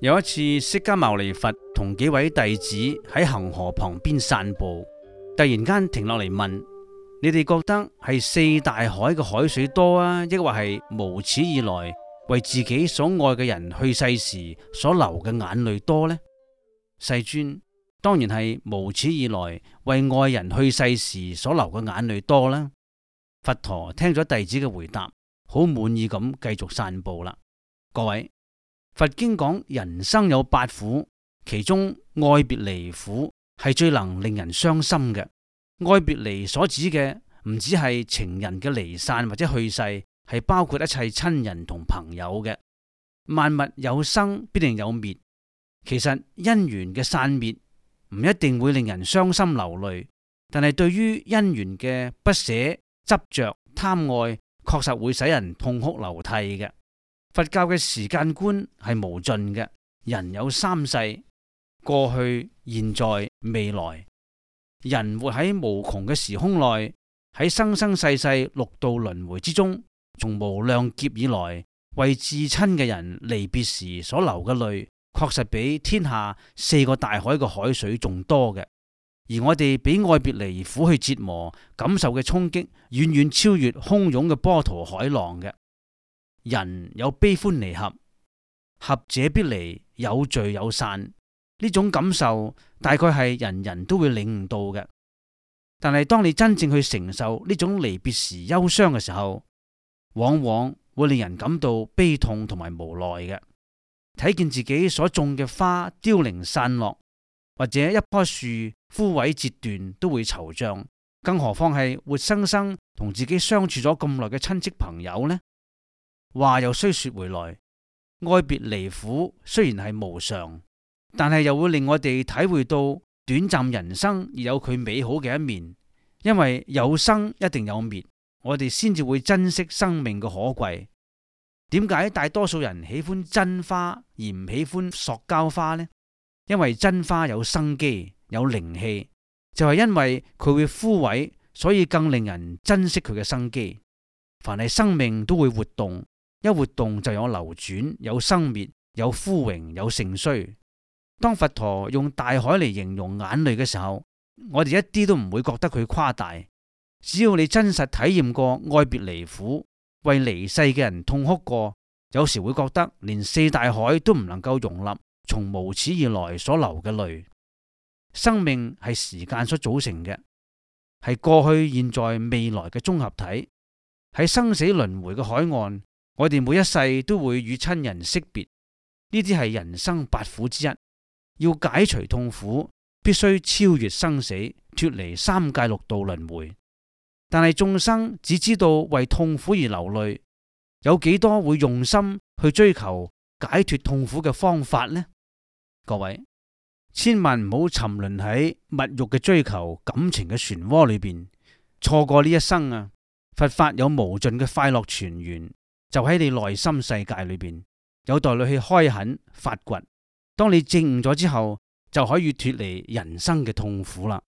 有一次，釋迦牟尼佛同幾位弟子喺恒河旁邊散步，突然間停落嚟問：你哋覺得係四大海嘅海水多啊，抑或係無始以來為自己所愛嘅人去世時所流嘅眼淚多呢？世尊，當然係無始以來為愛人去世時所流嘅眼淚多啦。佛陀聽咗弟子嘅回答，好滿意咁繼續散步啦。各位，佛經講人生有八苦，其中愛別離苦係最能令人傷心嘅。愛別離所指嘅唔只係情人嘅離散或者去世，係包括一切親人同朋友嘅。萬物有生必定有滅，其實因緣嘅散滅唔一定會令人傷心流淚，但係對於因緣嘅不捨、執着、貪愛，確實會使人痛哭流涕嘅。佛教嘅時間觀係無盡嘅，人有三世：過去、現在、未來。人活喺無窮嘅時空內，喺生生世世六道輪迴之中，從無量劫以來，為至親嘅人離別時所流嘅淚，確實比天下四個大海嘅海水仲多嘅。而我哋俾愛別離苦去折磨，感受嘅衝擊，遠遠超越洶湧嘅波濤海浪嘅。人有悲歡離合，合者必離，有聚有散。呢種感受大概係人人都會領悟到嘅。但係當你真正去承受呢種離別時憂傷嘅時候，往往會令人感到悲痛同埋無奈嘅。睇見自己所種嘅花凋零散落，或者一棵樹枯萎折斷，都會惆悵，更何況係活生生同自己相處咗咁耐嘅親戚朋友呢？話又雖說回來，愛別離苦雖然係無常，但係又會令我哋體會到短暫人生而有佢美好嘅一面。因為有生一定有滅，我哋先至會珍惜生命嘅可貴。點解大多數人喜歡真花而唔喜歡塑膠花呢？因為真花有生機，有靈氣，就係因為佢會枯萎，所以更令人珍惜佢嘅生機。凡係生命都會活動，一活動就有流轉，有生滅，有枯榮，有盛衰。當佛陀用大海嚟形容眼淚嘅時候，我哋一啲都唔會覺得佢誇大。只要你真實體驗過愛別離苦，為離世嘅人痛哭過，有時會覺得連四大海都唔能夠容納從無始以來所流嘅淚。生命係時間所組成嘅，係過去、現在、未來嘅綜合體。喺生死輪迴嘅海岸，我哋每一世都會與親人惜別，呢啲係人生八苦之一。要解除痛苦，必須超越生死，脫離三界六道輪迴。但係眾生只知道為痛苦而流淚，有幾多會用心去追求解脫痛苦嘅方法呢？各位，千萬唔好沉淪喺物欲嘅追求、感情嘅漩渦裏邊，錯過呢一生啊！佛法有無盡嘅快樂泉源，就喺你內心世界裏邊，有待你去開墾發掘。當你證悟咗之後，就可以脫離人生嘅痛苦啦。